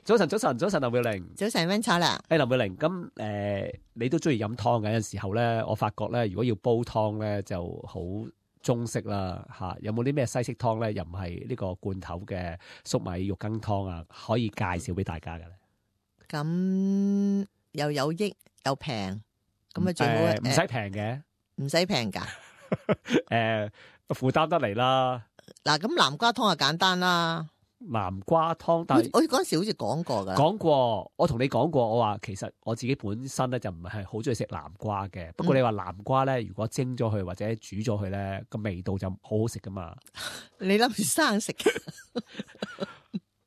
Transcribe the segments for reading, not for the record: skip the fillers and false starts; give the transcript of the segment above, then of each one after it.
早晨，林妙玲。早晨，溫楚良。林妙玲，咁你都中意飲湯嘅，有陣時候咧，我發覺咧，如果要煲湯咧，就好中式啦嚇。有冇啲咩西式湯咧？又唔係呢個罐頭嘅粟米肉羹湯啊？可以介紹俾大家嘅咧？咁又有益又平，咁啊最好唔使平嘅，唔使平㗎。負擔得嚟啦。嗱，咁南瓜湯就簡單啦。南瓜湯，但係我嗰陣時好似講過㗎。講過，我同你講過，我話其實我自己本身咧就唔係好中意食南瓜嘅。不過你話南瓜咧，如果蒸咗佢或者煮咗佢咧，個味道就好好食噶嘛。你諗住生食？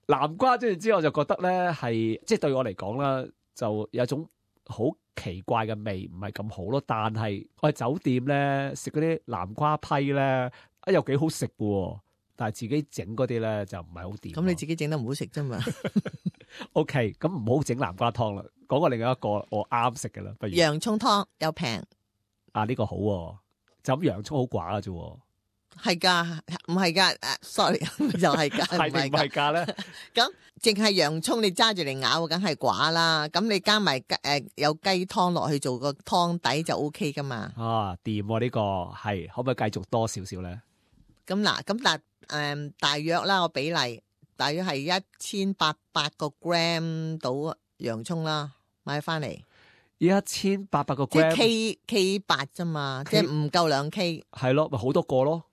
南瓜即係之後我就覺得咧係，即係對我嚟講啦，就有一種好奇怪嘅味，唔係咁好咯。但係我喺酒店咧食嗰啲南瓜批咧，又幾好食嘅。但係自己整嗰啲咧就唔係好掂。咁你自己整得唔好食啫嘛。OK， 咁唔好整南瓜湯啦。講個另外一個我啱食嘅啦，不如洋葱湯又平。呢個好喎，就咁洋葱好寡嘅啫。係㗎，唔係㗎，sorry，又係㗎，係定唔係㗎咧？咁淨係洋葱你揸住嚟咬，梗係寡啦。咁你加埋有雞湯落去做個湯底就 OK 㗎嘛。掂喎呢個係，可唔可以繼續多少少咧？咁嗱，咁大約啦，個比例大約係1800個 gram 到洋葱啦，買翻嚟。1800個 gram， 即係 K8啫嘛，即係唔夠2 K。係咯，咪好多個咯。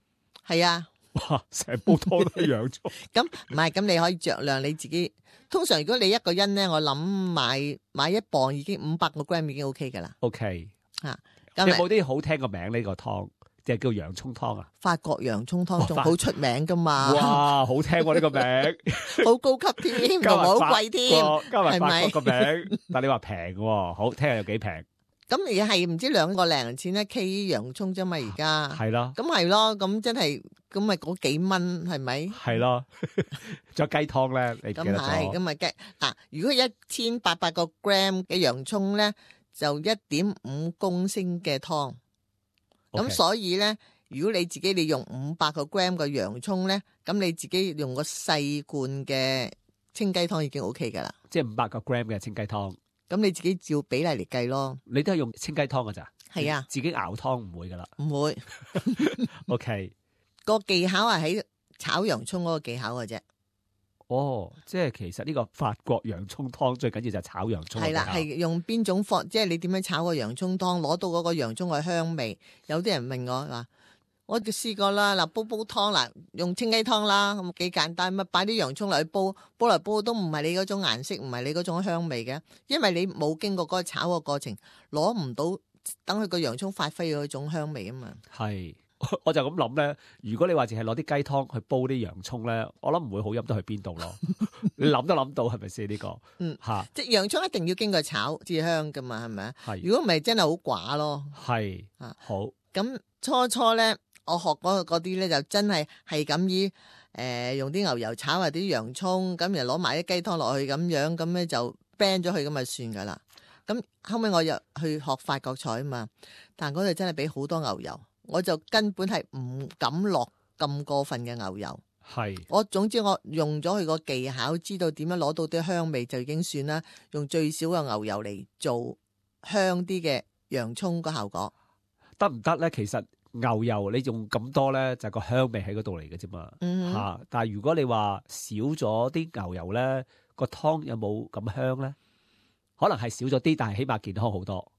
係啊，哇！成煲湯都係洋葱。咁唔係，咁你可以酌量你自己。通常如果你一個人咧，我諗買1磅已經500個 gram 已經 OK 噶啦。OK，咁有冇啲好聽個名呢個湯？即係叫洋葱湯啊？法國洋葱湯仲好出名噶嘛？哇，好聽喎呢個名，好高級添，同埋好貴添，加埋法國個名。係但你話平喎，好聽下有幾平？咁而係唔知2個零錢1 K 洋葱啫嘛，而家係咯，咁係咯，咁真係咁咪嗰幾蚊係咪？係咯，仲有雞湯咧，你記得咗？咁係，咁咪雞嗱，如果1800個 gram 嘅洋葱咧，就1.5公升嘅湯。咁所以咧，如果你自己你用500個 gram 嘅洋葱咧，咁你自己用個細罐嘅清雞湯已經 OK 噶啦。即係500個 gram 嘅清雞湯。咁你自己照比例嚟計咯。你都係用清雞湯噶咋？係啊，自己熬湯唔會噶啦。唔會。OK， 個技巧係喺炒洋葱嗰個技巧嘅啫。即係其實呢個法國洋葱湯最緊要就係炒洋葱。係啦，係用邊種方，即係你點樣炒個洋葱湯，攞到嗰個洋葱嘅香味。有啲人問我話，我就試過啦，嗱煲湯嗱，用清雞湯啦，咁幾簡單，咪擺啲洋葱落去煲嚟煲都唔係你嗰種顏色，唔係你嗰種香味嘅，因為你冇經過嗰個炒個過程，攞唔到等佢個洋葱發揮嗰種香味啊嘛。係。我就咁諗咧，如果你話淨係攞啲雞湯去煲啲洋葱咧，我諗唔會好飲得去邊度咯。你諗都諗到係咪先呢個？即係洋葱一定要經過炒至香噶嘛，係咪啊？係。如果唔係真係好寡咯。係。好。咁初咧，我學嗰啲咧就真係咁以用啲牛油炒下啲洋葱，咁然後攞埋啲雞湯落去咁樣，咁咧就 blend 咗佢咁就算噶啦。咁後尾我又去學法國菜啊嘛，但嗰度真係俾好多牛油。我就根本係唔敢落咁過分嘅牛油。係。總之我用咗佢個技巧，知道點樣攞到啲香味就已經算啦。用最少嘅牛油嚟做香啲嘅洋葱個效果得唔得咧？其實牛油你用咁多咧，就係個香味喺嗰度嚟嘅啫嘛。但係如果你話少咗啲牛油咧，個湯有冇咁香咧？可能係少咗啲，但係起碼健康好多。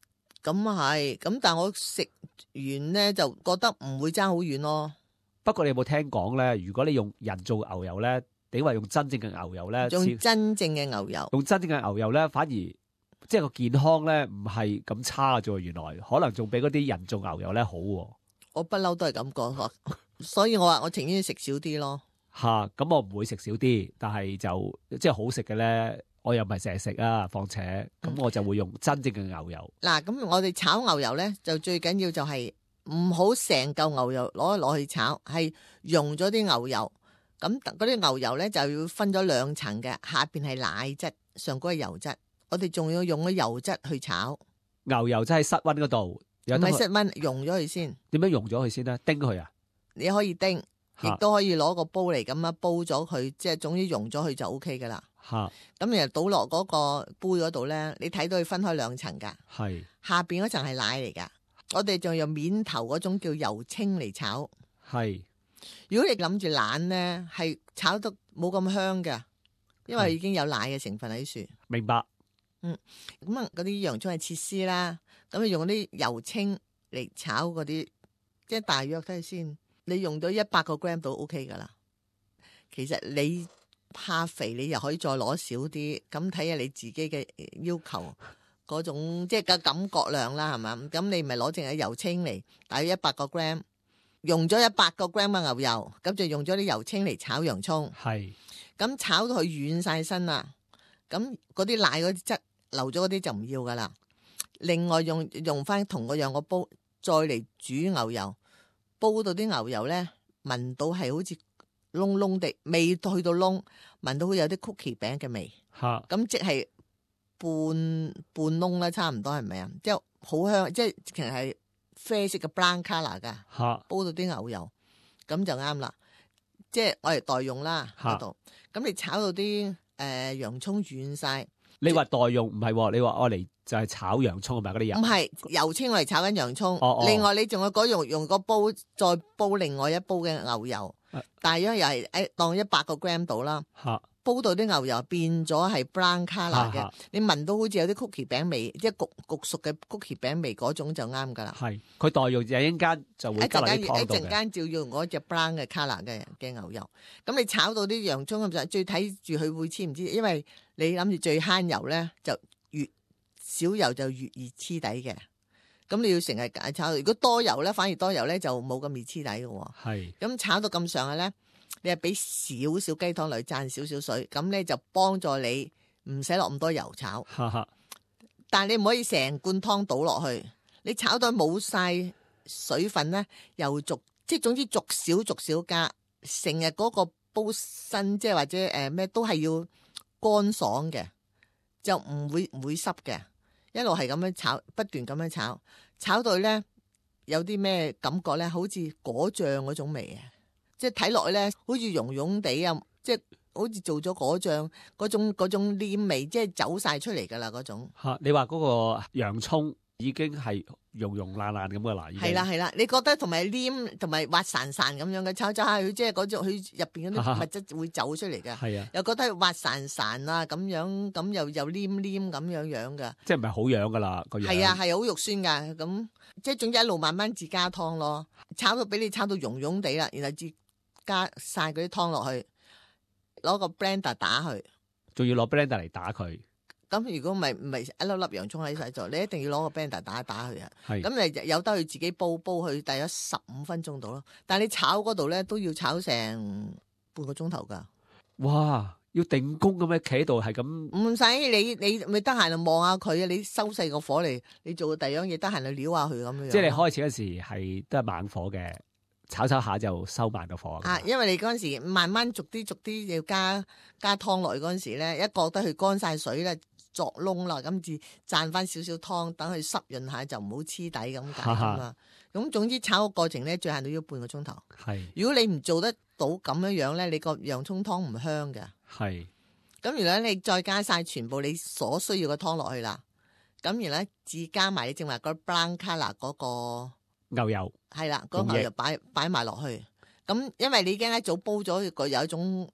咁係，咁但係我食完咧就覺得唔會爭好遠咯。不過你有冇聽講咧？如果你用人造牛油咧，定話用真正嘅牛油咧？用真正嘅牛油，用真正嘅牛油咧，反而即係個健康咧唔係咁差啫。原來可能仲比嗰啲人造牛油咧好。我不嬲都係咁講，所以我話我情願食少啲咯。咁我唔會食少啲，但係就即係好食嘅咧。我又唔係成日食啊，況且咁我就會用真正嘅牛油。嗱，咁我哋炒牛油咧，就最緊要就係唔好成嚿牛油攞去炒，係溶咗啲牛油。咁嗰啲牛油咧就要分咗2層嘅，下邊係奶質，上嗰係油質。我哋仲要用咗油質去炒。牛油真係室溫嗰度，唔係室溫，溶咗佢先。點樣溶咗佢先咧？叮佢啊？你可以叮，亦都可以攞個煲嚟咁樣煲咗佢，即係總之溶咗佢就 O K 噶啦。嚇咁然後倒落嗰個杯嗰度咧，你睇到佢分開兩層㗎，係下邊嗰層係奶嚟㗎。我哋仲用面頭嗰種叫油青嚟炒。係如果你諗住懶咧，係炒得冇咁香嘅，因為已經有奶嘅成分喺處。明白。咁啊，嗰啲洋葱係切絲啦，咁你用啲油青嚟炒嗰啲，即係大約睇下先。你用到100個 gram 都 OK 噶啦。其實你怕肥，你又可以再攞少啲，咁睇下你自己嘅要求嗰種即係個感覺量啦，係嘛？咁你咪攞淨係油青嚟，大約100個 gram，用咗100個 gram 嘅牛油，咁就用咗啲油青嚟炒洋葱。係咁炒到佢軟晒身啦，咁嗰啲奶嗰啲質流咗嗰啲就唔要噶啦。另外用翻同個樣個煲，再嚟煮牛油，煲到啲牛油咧聞到係好似燶燶地，未去到燶，聞到會有啲 cookie 餅嘅味。嚇咁即係半燶啦，差唔多係咪啊？即係好香，即係其實係啡色嘅 brown colour 噶。嚇煲到啲牛油，咁就啱啦。即係我嚟代用啦嗰度。咁你炒到啲洋葱軟晒，你話代用唔係喎？你話我嚟就係炒洋葱係咪嗰啲油？唔係油青我嚟炒緊洋葱。哦另外你仲有嗰用個煲再煲另外一煲嘅牛油，大約又係當100個 gram 到啦。嚇煲到啲牛油變咗係 brown colour 嘅嚇，你聞到好似有啲 cookie 餅味，即係焗熟嘅 cookie 餅味嗰種就啱噶啦。係佢代用就一陣間就會加落啲湯度一陣間照用嗰隻 brown 嘅 colour 嘅牛油。咁你炒到啲洋葱咁就最睇住佢會黐唔黐，因為你諗住最慳油咧，就越少油就越易黐底嘅。咁你要成日炒，如果多油咧，反而多油咧就冇咁易黐底嘅喎。係咁炒到咁上下咧，你係俾少少雞湯落去，灒少少水，咁咧就幫助你唔使落咁多油炒。哈哈但係你唔可以成罐湯倒落去，你炒到冇晒水分咧，又逐即係總之逐少加，成日嗰個煲身即係或者咩都係要乾爽嘅，就唔會濕嘅，一路係咁樣炒，不斷咁樣炒，炒到咧有啲咩感覺咧，好似果醬嗰種味啊！即係睇落去咧，好似溶溶地啊，即係好似做咗果醬嗰種黏味，即係走晒出嚟噶啦嗰種。嚇！你話嗰個洋葱已經係溶爛咁嘅啦，已經係啦，你覺得同埋黏同埋滑潺潺咁樣嘅炒下佢，即係嗰種佢入邊嗰啲物質會走出嚟嘅。係啊，又覺得滑潺潺啊咁樣，咁又黏黏咁樣嘅。即係唔係好樣噶啦個樣。係啊，係好肉酸㗎。咁即係總之一路慢慢自加湯咯，炒到俾你炒到溶溶地啦，然後至加晒嗰啲湯落去，攞個 blender 打佢。仲要攞 blender 嚟打佢。咁如果唔係一粒粒洋葱喺晒度，你一定要攞個 blender 打一打佢啊。係咁你由得佢自己煲去大約15分鐘度咯。但係你炒嗰度咧都要炒成半個鐘頭㗎。哇！要定工咁樣企喺度係咁。唔使你咪得閒就望下佢啊！你收細個火嚟，你做第二樣嘢，得閒就撩下佢咁樣。即係你開始嗰時係都係猛火嘅，炒下就收慢個火。啊，因為你嗰陣時慢慢逐啲要加湯落去嗰陣時咧，一覺得佢乾晒水咧，作燶啦，咁至賺翻少少湯，等佢濕潤下就唔好黐底咁解咁啊。咁總之炒個過程咧，最限都要半個鐘頭。係。如果你唔做得到咁樣咧，你個洋葱湯唔香嘅。係。咁原來你再加晒全部你所需要嘅湯落去啦，咁然後至加埋你正話嗰 brown colour 嗰個牛油。係啦，嗰個牛油擺埋落去。咁因為你已經一早煲咗，有一種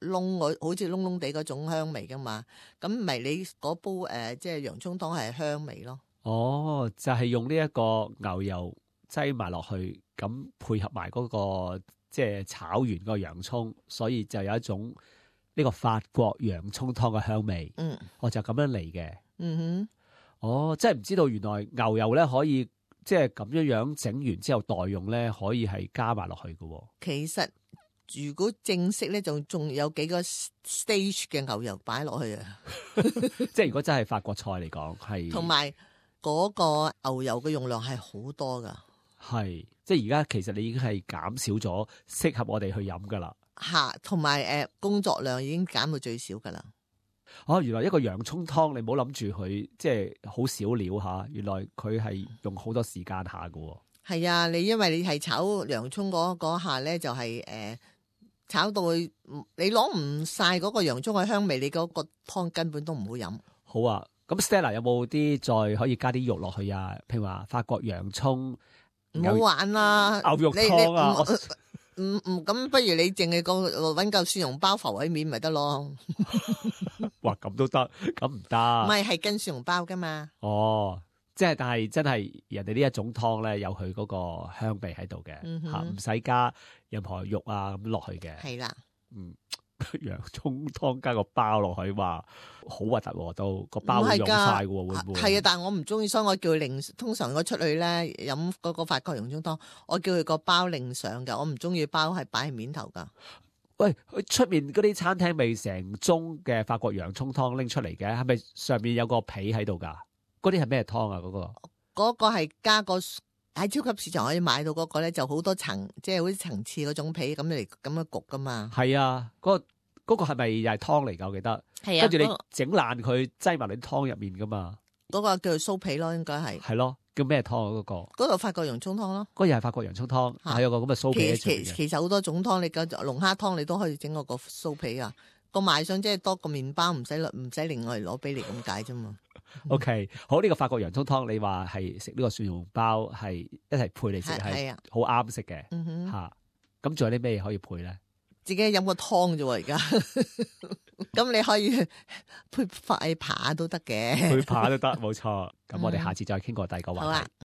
好似燶地嗰種香味噶嘛。咁咪你嗰煲即係洋葱湯係香味咯。哦，就係用呢一個牛油擠埋落去，咁配合埋嗰個即係炒完個洋葱，所以就有一種呢個法國洋葱湯嘅香味。我就咁樣嚟嘅。哦，真係唔知道原來牛油咧可以即係咁樣整完之後代用咧，可以係加埋落去嘅。其實如果正式咧，仲有幾個 stage 嘅牛油擺落去啊。即係如果真係法國菜嚟講，係同埋嗰個牛油嘅用量係好多噶。係即係而家其實你已經係減少咗適合我哋去飲噶啦。同埋工作量已經減到最少噶啦。哦，原來一個洋葱湯你唔好諗住佢即係好少料吓，原來佢係用好多時間下噶。係啊，因為你係炒洋葱嗰下咧，就係炒到佢你攞唔晒嗰個洋葱嘅香味，你嗰個湯根本都唔好飲。好啊，咁 Stella 有冇啲再可以加啲肉落去啊？譬如話法國洋葱唔好玩啦，牛肉湯啊，咁不如你淨係搵嚿蒜蓉包浮喺面咪得咯？哇，咁都得，咁唔得。唔係跟蒜蓉包噶嘛？哦，即係但係真係人哋呢一種湯咧，有佢嗰個香味喺度嘅吓，唔使加任何肉啊咁落去嘅。係啦，洋葱湯加個包落去，話好核突喎，都個包會溶晒嘅喎，會唔會？係啊，但係我唔中意，所以我叫佢另。通常我出去咧飲嗰個法國洋葱湯，我叫佢個包另上㗎，我唔中意包係擺喺面頭㗎。喂，佢出面嗰啲餐廳未成盅嘅法國洋葱湯拎出嚟嘅，係咪上面有個皮喺度㗎？嗰啲係咩湯啊？嗰個係加個喺超級市場可以買到嗰個咧，就好多層，即係好似層次嗰種皮咁嚟咁樣焗㗎嘛。係啊，嗰個係咪又係湯嚟㗎？我記得。係啊，跟住你整爛佢，擠埋你湯入面㗎嘛。嗰個叫做酥皮咯，應該係。係咯，叫咩湯啊？嗰個法國洋葱湯咯。嗰個又係法國洋葱湯，係有個咁嘅酥皮喺上面嘅。其實好多種湯，你個龍蝦湯你都可以整個酥皮啊。個賣相即係多個麵包，唔使另外攞俾你咁解啫嘛。OK， 好，呢個法國洋葱湯，你話係食呢個蒜蓉包係一齊配嚟食，係好啱食嘅吓。咁仲有啲咩可以配咧？自己飲個湯啫喎，而家咁你可以配塊扒都得嘅，配扒都得，冇錯。咁我哋下次再傾過第二個話題。好啊。